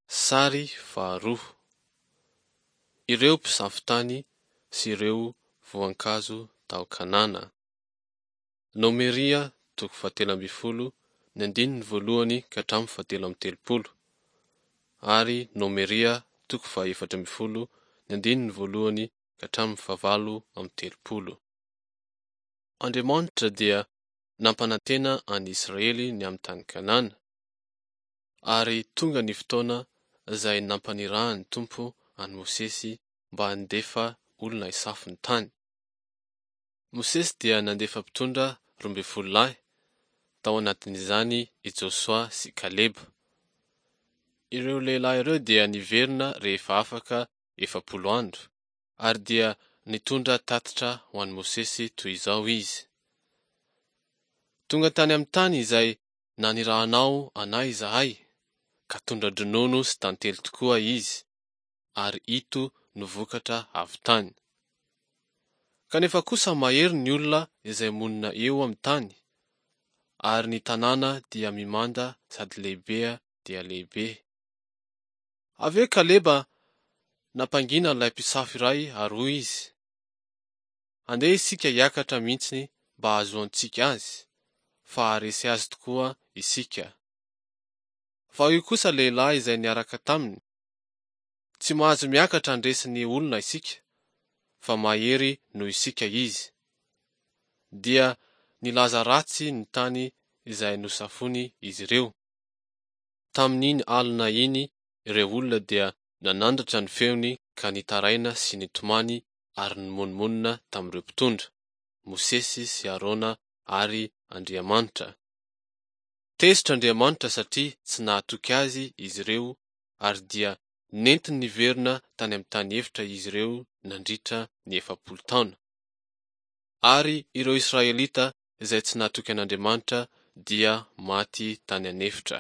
Sary faharoa. Ireo mpisafo tany sy ireo voankazo tao Kanana. Nomeria toko fahatelo ambin'ny folo, ny andininy voalohany ka hatramin'ny fahatelo amby telopolo, ary Nomeria toko fahaefatra ambin'ny folo, ny andininy voalohany ka hatramin'ny fahavalo amby telopolo. Andriamanitra dia nampanantena an'i Israely ny amin'ny tany Kanana. Ary tonga ny fotoana izay nampanirahan'ny Tompo an'i Mosesy mba handefa olona hisafo ny tany. Mosesy dia nandefa mpitondra 12 lahy, tao anatin'izany i Josoa sy Kaleba. Ireo lehilahy ireo dia niverina rehefa afaka 40 andro, ary dia nitondra tatitra ho an'i Mosesy toy izao izy, Tonga tany amin'ny tany izay nanirahanao anay izahay, ka tondra-dronono sy tantely tokoa izy, ary ito no vokatra avy tany. Kanefa kosa mahery ny olona izay monina eo amin'ny tany, ary ny tanàna dia mimanda sady lehibe dia lehibe. Avy eo Kaleba nampangina ilay mpisafo iray ary hoy izy, Andeha isika hiakatra mihitsy mba hahazoantsika azy, fa haharesy azy tokoa isika. Fa hoy kosa lehilahy izay niaraka taminy, Tsy mahazo miakatra handresy ny olona isika, fa mahery noho isika izy. Dia nilaza ratsy ny tany izay nosafoiny izy ireo. Tamin'iny alina iny ireo olona dia nanandratra ny feony ka nitaraina sy nitomany ary nimonomonona tamin'ireo mpitondra, Mosesy sy Arona ary Andriamanitra. Tezitra Andriamanitra satria tsy nahatoky azy izy ireo ary dia nentiny niverina tany amin'ny tany efitra izy ireo nandritra ny 40 taona. Ary ireo Israelita izay tsy nahatoky an'Andriamanitra dia maty tany an'efitra.